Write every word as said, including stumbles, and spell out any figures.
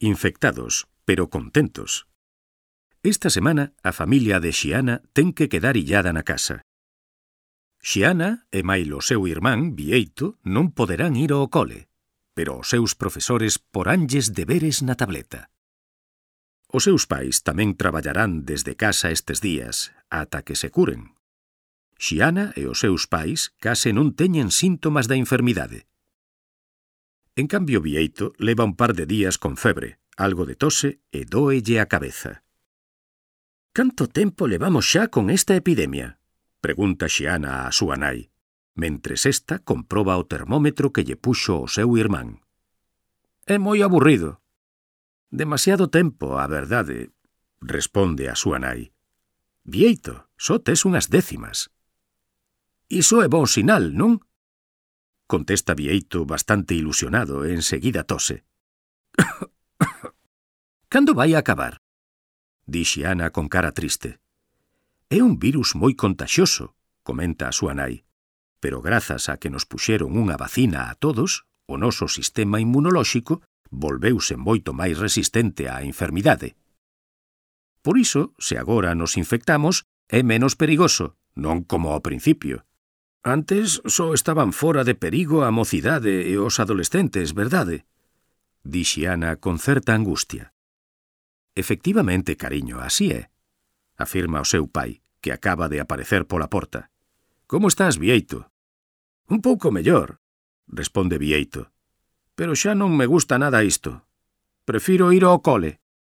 infectados, pero contentos. Esta semana a familia de Xiana ten que quedar illada na casa. Xiana e mailo seu irmán, Bieito, non poderán ir ao cole, pero os seus profesores poránlles deberes na tableta. Os seus pais tamén traballarán desde casa estes días, ata que se curen. Xiana e os seus pais case non teñen síntomas da enfermidade. En cambio, Bieito leva un par de días con febre, algo de tose e dóelle a cabeza. «Canto tempo levamos xa con esta epidemia?», pregunta Xiana a súa nai, mentres esta comproba o termómetro que lle puxo o seu irmán. «É moi aburrido». «Demasiado tempo, a verdade», responde a súa nai. «Bieito, só tes unhas décimas». «Iso é bon sinal, non?», contesta Bieito bastante ilusionado e enseguida tose. «Cando vai a acabar?», di Xiana con cara triste. «É un virus moi contaxioso», comenta a súa nai, pero grazas a que nos puxeron unha vacina a todos, o noso sistema inmunolóxico volveuse moito máis resistente á enfermidade. Por iso, se agora nos infectamos, é menos perigoso, non como ao principio. Antes só estaban fora de perigo a mocidade e os adolescentes, verdade? Di Xiana con certa angustia. Efectivamente, cariño, así é, afirma o seu pai, que acaba de aparecer pola porta. Como estás, Bieito? Un pouco mellor, responde Bieito. Pero xa non me gusta nada isto. Prefiro ir ao cole.